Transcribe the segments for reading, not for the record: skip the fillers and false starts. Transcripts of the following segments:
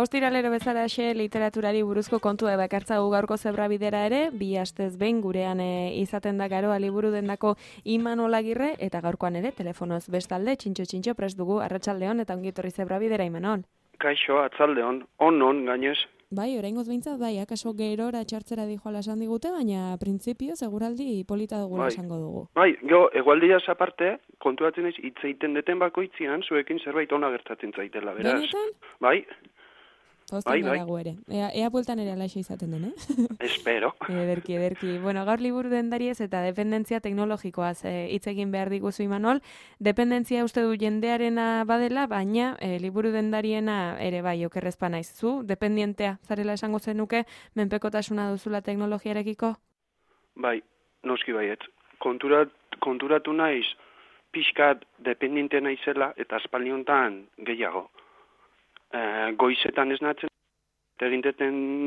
Ostiralero bezalaxe literaturari buruzko kontua bakartzagu gaurko zebrabidera ere, bi astez behin gurean izaten da Garoa liburu dendako Imanol Agirre, eta gaurkoan ere telefonoz bestalde, txintxo prest dugu, arratsaldeon eta ongitorri zebrabidera Imanol. Kaixo, atzaldeon, on gainez. Bai, oraingoz behintzat, bai, akaso gerora txartzera dijoala esan digute, baina printzipio seguraldi polita dugula esango dugu. Bai, egualdiaz aparte, konturatzen naiz hitz egiten deten bakoitzian, zuekin zerbait ona gertatzen zaitela, beraz. Benetan? Bai. Bai. Ere. Ea bueltan ere alaxe izaten den, Espero. Ederki. Bueno, gaur liburu dendariez eta dependentzia teknologikoaz hitz egin behar diguzu Imanol. Dependentzia uste du jendearena badela, baina liburu dendariena ere bai, okerrezpa naiz. Zu, dependientea, zarela esango zenuke, menpekotasuna duzula teknologiarekiko? Bai, noski baiet. Konturatu naiz, pixkat dependiente naizela eta aspaldiontan gehiago. Goizetan esnatzen, egin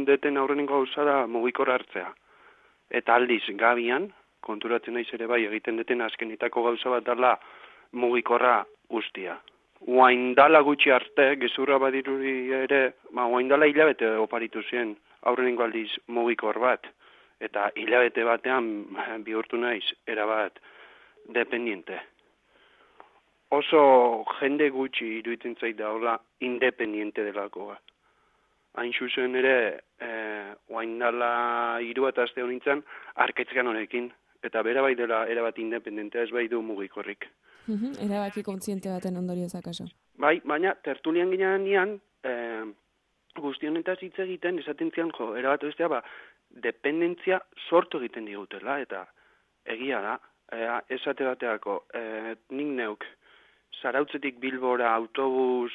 deten aurrenengo gauza da mugikorra hartzea. Eta aldiz, gabian, konturatzen naiz ere bai, egiten deten azkenitako gauza bat dela mugikorra guztia. Oaindala gutxi arte, gezurra badiruri ere, oaindala hilabete oparitu zen aurrenengo aldiz mugikor bat. Eta hilabete batean bihurtu naiz, erabat, dependiente. Oso jende gutxi iruditzen zait daula independiente delakoa. Hain zuzen ere, oaindala 3 aste honintzen, arketzkan honekin. Eta bera bai dela erabat independentea, ez bai du mugikorrik. Erabaki kontziente baten ondorioz akaso. Bai, baina tertulian ginean, guztionetaz hitz egiten, esaten zian, erabat bestea, dependentzia sortu egiten digutela, eta egia da, esate bateako, nik neuk, Zarautzetik Bilbora autobus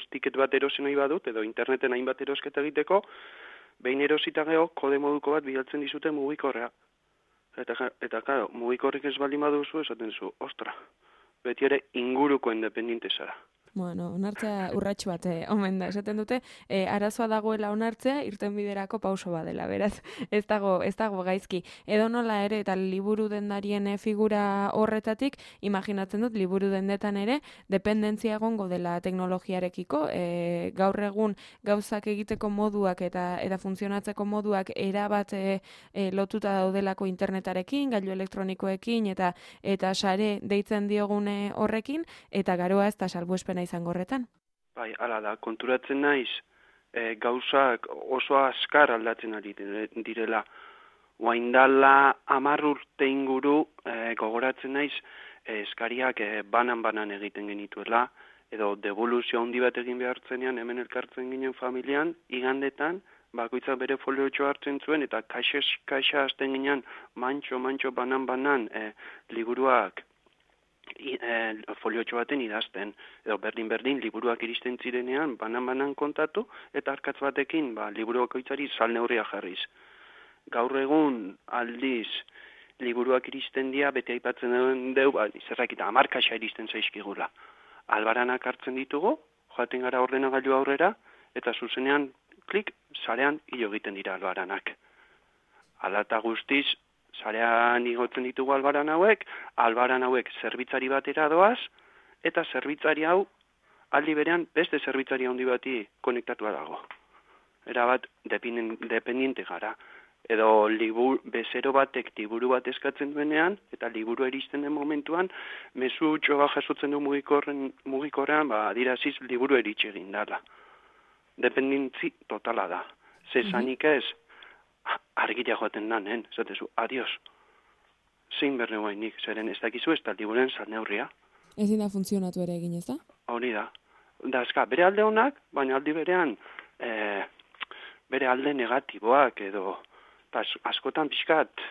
tiket bat erosen nahi badut, edo interneten hainbat erosketa egiteko, behin erosita geho, kode moduko bat bidaltzen dizute mugikorrea. Eta claro, mugikorrik ez baldin baduzu, esaten zu, ostra, beti ere inguruko independiente zara. Bueno, onartzea urratxu bat, omen da, esaten dute, arazoa dagoela onartzea, irten biderako pauso badela, beraz, ez dago gaizki. Edo nola ere, eta liburu dendarien figura horretatik, imaginatzen dut, liburu dendetan ere, dependentzia egongo dela teknologiarekiko, gaur egun gauzak egiteko moduak eta funtzionatzeko moduak erabat lotuta daudelako internetarekin, gailu elektronikoekin, eta sare deitzen diogune horrekin, eta garoa ez da salbuespena izango horretan. Bai, hala da, konturatzen naiz, gauzak oso azkar aldatzen ari direla. Oaindala 10 urte inguru gogoratzen naiz, eskariak banan egiten genituela, edo devoluzio handi bat egin behartzenean, hemen elkartzen ginen familian, igandetan, bakoitzak bere foliotxo hartzen zuen, eta kaixa hasten ginen, mantxo, banan, liburuak, foliotxo baten idazten, edo berdin liburuak iristen zirenean banan kontatu, eta arkatz batekin liburuak oitzari sal neurria jarriz. Gaur egun aldiz liburuak iristen dira, beti aipatzen dugu, zerrakita 10 kaxa iristen zaizkigula. Albaranak hartzen ditugu, joaten gara ordenagailu aurrera, eta zuzenean klik, sarean hilo egiten dira albaranak. Hala eta guztiz, sarean igotzen ditugu albaran hauek zerbitzari batera doaz, eta zerbitzari hau aldi berean beste zerbitzari handi bati konektatua dago. Erabat dependiente gara. Edo bezero batek liburu bat eskatzen duenean, eta liburu eristen den momentuan, mezu txoba jasotzen du mugikorrean, adiraziz liburu eritxe egin dala. Dependentzi totala da. Zezanik ez, argira joaten danen, zatezu, adios. Zein berne guainik, zeren ez dakizu ez da liburen salneurria. Ezin da funtzionatu ere egin, ez da? Hori da. Da, bere alde honak, baina aldi berean, bere alde negatiboak, edo, askotan pixkat,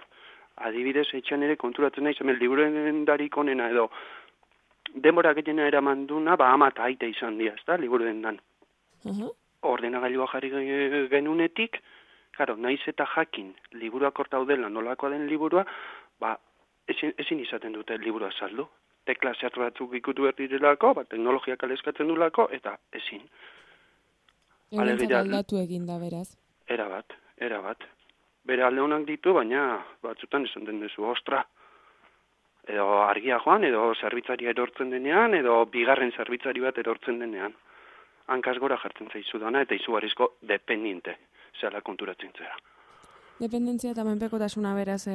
adibidez etxan ere konturatzen nahi, hemen liburen darik onena, edo, denbora gehiena eraman duna, ama eta aite izan dira, ez da, liburen dan. Ordenagailua jarri genunetik, claro, naiz eta jakin liburuak hor daudela nolakoa den liburua, ezin izaten dute liburua saldu. Tekla zehatz batzuk ikutu behar direlako, teknologiak aleskatzen dulako, eta ezin. Eurentzat aldatu egin da, beraz. Erabat. Bere alde honak ditu, baina batzutan esan den duzu, ostra. Edo argia joan, edo zerbitzaria erortzen denean, edo bigarren zerbitzari bat erortzen denean. hankaz gora jartzen zaizu dana, eta izugarrizko dependiente, zela konturatzen zera. Dependentzia eta menpekotasuna beraz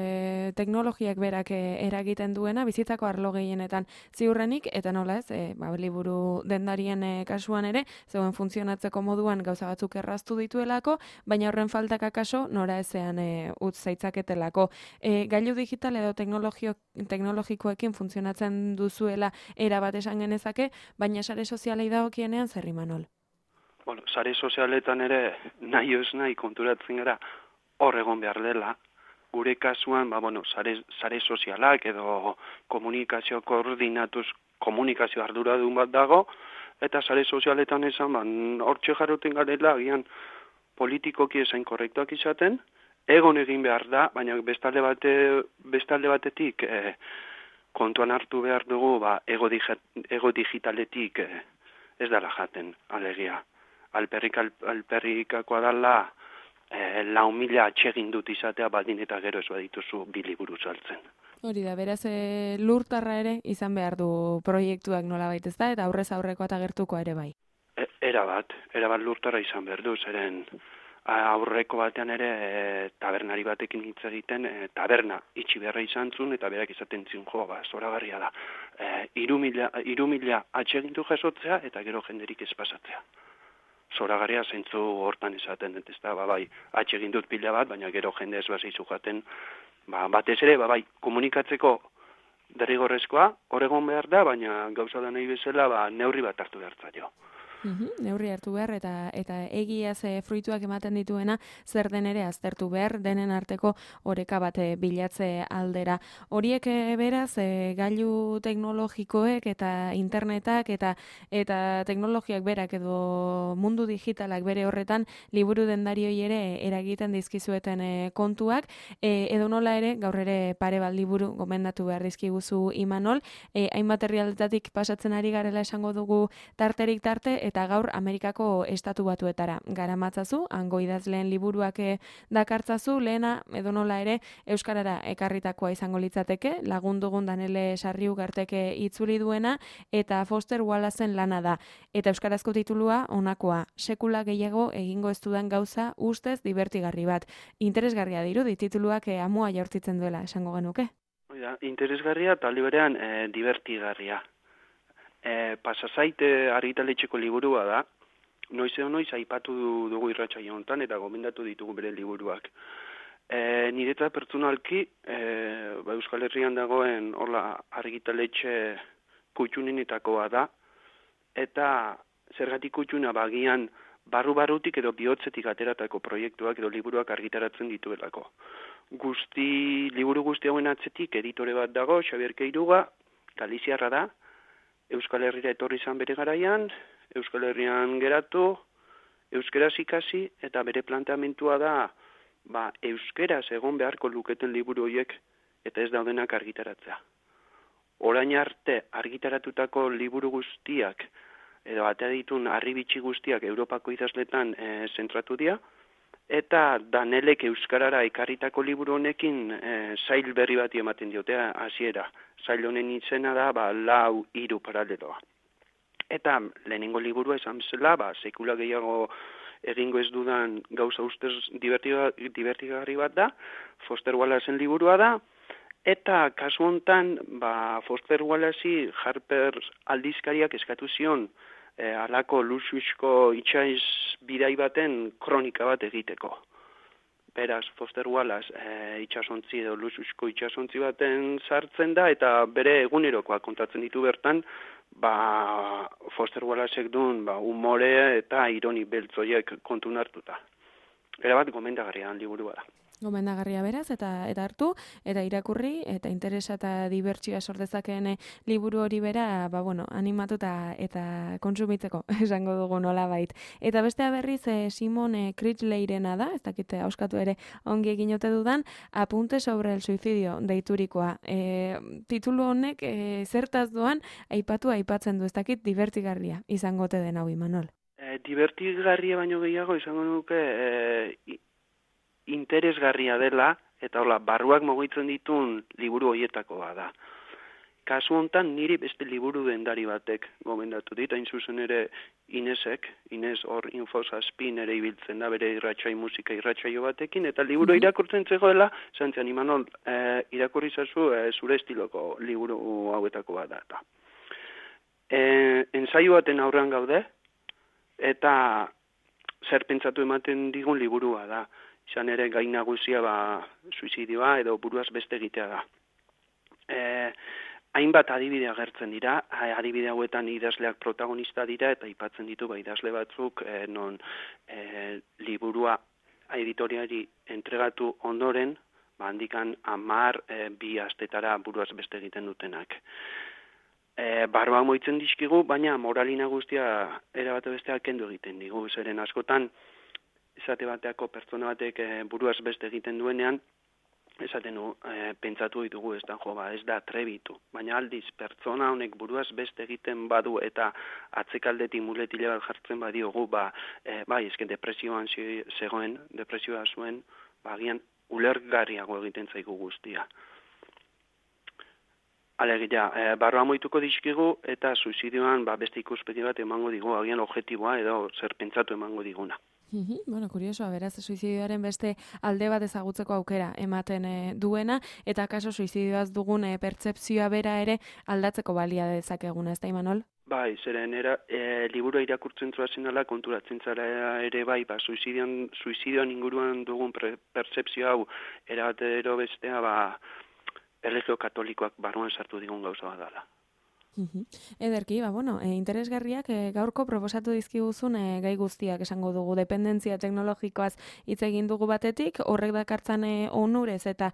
teknologiak berak eragiten duena bizitzako arlo gehienetan ziurrenik eta nola ez, liburu dendarien kasuan ere, zeuen funtzionatzeko moduan gauza batzuk erraztu dituelako, baina horren faltak akaso nora ezean utz zaitzaketelako. Gailu digital edo teknologikoekin funtzionatzen duzuela erabat esan genezake, baina sare sozialei dagokienean zer Imanol? Bueno, sare sozialetan ere nahi konturatzen gara hor egon behar dela, gure kasuan, sare sozialak edo komunikazio koordinatuz komunikazio arduradun bat dago, eta sare sozialetan esan, hortxe jarruten garela, agian politikoki esain korrektuak izaten, egon egin behar da, baina bestalde batetik kontuan hartu behar dugu, ego digitaletik ez dela jaten, alegia. Alperrikakoa dela, 4.000 atsegin dut izatea baldin eta gero ez badituzu 2 liburu saltzen. Hori da, beraz lurtarra ere izan behar du proiektuak nolabait ez da, eta aurrez aurrekoa eta gertuko ere bai. Erabat lurtarra izan behar du, zeren aurreko batean ere tabernari batekin hitz egiten, taberna itxi beharra izan zuen, eta berak izaten zin zoragarria da. 3.000 atsegintu jasotzea, eta gero jenderik ez pasatzea. Zoragarria zeintzu hortan esaten, ez da, atsegin dut pila bat, baina gero jende ez bazaizu jaten, batez ere, komunikatzeko derrigorrezkoa, hor egon behar da, baina gauza da nahi bezala, neurri bat hartu behar zaio. Neurri hartu behar eta egiaz fruituak ematen dituena zer den ere aztertu behar denen arteko oreka bat bilatze aldera. Horiek beraz gailu teknologikoek eta internetak eta teknologiak berak edo mundu digitalak bere horretan liburu dendarioi ere eragiten dizkizueten kontuak edo nola ere gaur ere pare bat liburu gomendatu behar dizkiguzu Imanol, hainbat herrialdetatik pasatzen ari garela esango dugu tarterik tarte eta gaur Amerikako estatu batuetara garamatzazu, hango idazleen liburuak dakartzazu, lehena edonola ere euskarara ekarritakoa izango litzateke, lagundugun Danele Sarriugarteke itzuli duena eta Foster Wallacen lana da. Eta euskarazko titulua honakoa, sekula gehiago egingo ez dudan gauza ustez divertigarri bat. Interesgarria dirudi tituluak amua jaurtitzen duela esango genuke. Interesgarria eta liberean divertigarria. Pasazaite argitaletxeko liburua da, noiz aipatu dugu irratsaio honetan eta gomendatu ditugu bere liburuak. Niretzat pertsonalki, Euskal Herrian dagoen argitaletxe kutxunenetakoa da, eta zergatik kutxuna bagian barru-barrutik edo bihotzetik ateratako proiektuak edo liburuak argitaratzen dituelako. Liburu guzti hauen atzetik editore bat dago, Xabier Keiruga, Galiziarra da, Euskal Herrira etorri izan bere garaian, Euskal Herrian geratu, euskeraz ikasi, eta bere planteamentua da, euskeraz egon beharko luketen liburu horiek eta ez daudenak argitaratzea. Orain arte argitaratutako liburu guztiak, edo atea ditun harribitxi guztiak Europako idazletan zentratu dira, eta Danelek euskarara ekarritako liburu honekin sail berri bati ematen diotea hasiera. Sail honen izena da 4-3 paraleloa. Eta lehenengo liburua esan bezala, sekula gehiago egingo ez dudan gauza ustez divertigarri bat da, Foster Wallacen liburua da, eta kasu hontan Foster Wallace Harper aldizkariak eskatu zion halako luxuzko itsas bidai baten kronika bat egiteko. Beraz, Foster Wallace itsasontzi edo luxuzko itsasontzi baten sartzen da, eta bere egunerokoak kontatzen ditu bertan, Foster Wallacek duen umore eta ironi beltzoiek kontun hartuta. Erabat gomendagarria liburua da. Gomendagarria beraz, eta hartu, eta irakurri, eta interesa eta dibertsioa sortezakeen liburu hori bera, animatuta eta kontsumitzeko, esango dugu nolabait. Eta bestea berriz, Simon Critchleyrena da, ez dakite auskatu ere ongi egin ote dudan, Apunte sobre el suicidio deiturikoa. Titulu honek zertaz doan aipatzen du, ez dakit divertigarria izango ote den hau Imanol. Divertigarria baino gehiago izango nuke interesgarria dela, eta barruak mugitzen ditun liburu horietakoa da. kasu hontan niri beste liburu dendari batek gomendatu dit, hain zuzen ere Inez hor Infosazpin ere ibiltzen da, bere musika irratsaio batekin, eta liburu irakurtzen zegoela, zantzian, Imanol, irakurri zazu zure estiloko liburu hauetako bat da. Ensaio baten aurrean gaude, eta zer pentsatu ematen digun liburua da. Izan ere gai nagusia suizidioa edo buruaz beste egitea da. Hainbat adibide agertzen dira, adibide hauetan idazleak protagonista dira eta aipatzen ditu idazle batzuk non liburua editoriari entregatu ondoren, handikan 2 astetara buruaz beste egiten dutenak. Barba moitzen dizkigu, baina moralina guztia erabate besteak kendu egiten digu, zeren askotan esate bateako pertsona batek buruaz beste egiten duenean, esaten pentsatu ditugu ez da trebitu, baina aldiz pertsona honek buruaz beste egiten badu eta atzekaldetik muletile bat jartzen badiogu, esken depresioan zegoen, depresioa zuen, agian ulergarriago egiten zaigu guztia. Alegia, barroa moituko dizkigu eta suizidioan beste ikuspegi bat emango digu, agian objektiboa edo zer pentsatu emango diguna. Bueno, kuriosoa, beraz, suizidioaren beste alde bat ezagutzeko aukera ematen duena, eta kaso suizidioaz dugun pertzepzioa bera ere aldatzeko balia dezakeguna, ez da, Imanol? Bai, zeren liburua irakurtzen zuazen konturatzen zara ere suizidioan inguruan dugun pertzepzio hau erabatero bestea, erlijio katolikoak barruan sartu digun gauza bat dela. Ederki, interesgarriak gaurko proposatu dizkiguzun gai guztiak esango dugu, dependentzia teknologikoaz hitz egin dugu batetik, horrek dakartzan onurez eta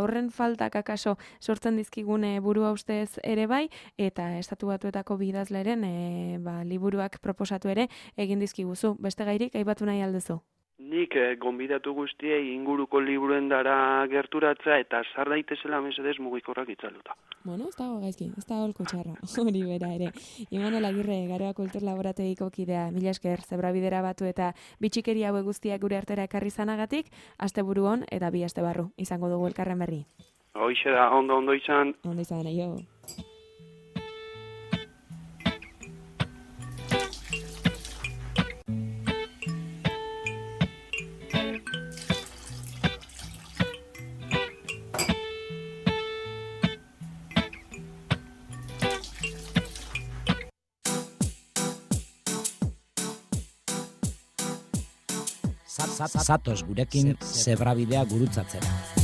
horren faltak akaso sortzen dizkigun burua ustez ere bai, eta Estatu Batuetako bidazleren liburuak proposatu ere egin dizkiguzu. Beste gairik aipatu nahi alduzu? Nik gonbidatu guztiei inguruko liburuen dara gerturatzea eta sar daitezela mesedez mugikorrak itzaluta. Bueno, ez dago gaizki, ez dago holko txarra, hori bera ere. Imanol Agirre, Garoa Kultur Laborategiko kidea, mila esker, Zebrabidera Batu eta bitxikeri haue guztiak gure artera ekarri zanagatik, asteburu on eta 2 aste barru, izango dugu elkarren berri. Hoixe da, ondo izan. Ondo izan, aio. Zatoz gurekin Zebrabidea gurutzatzera.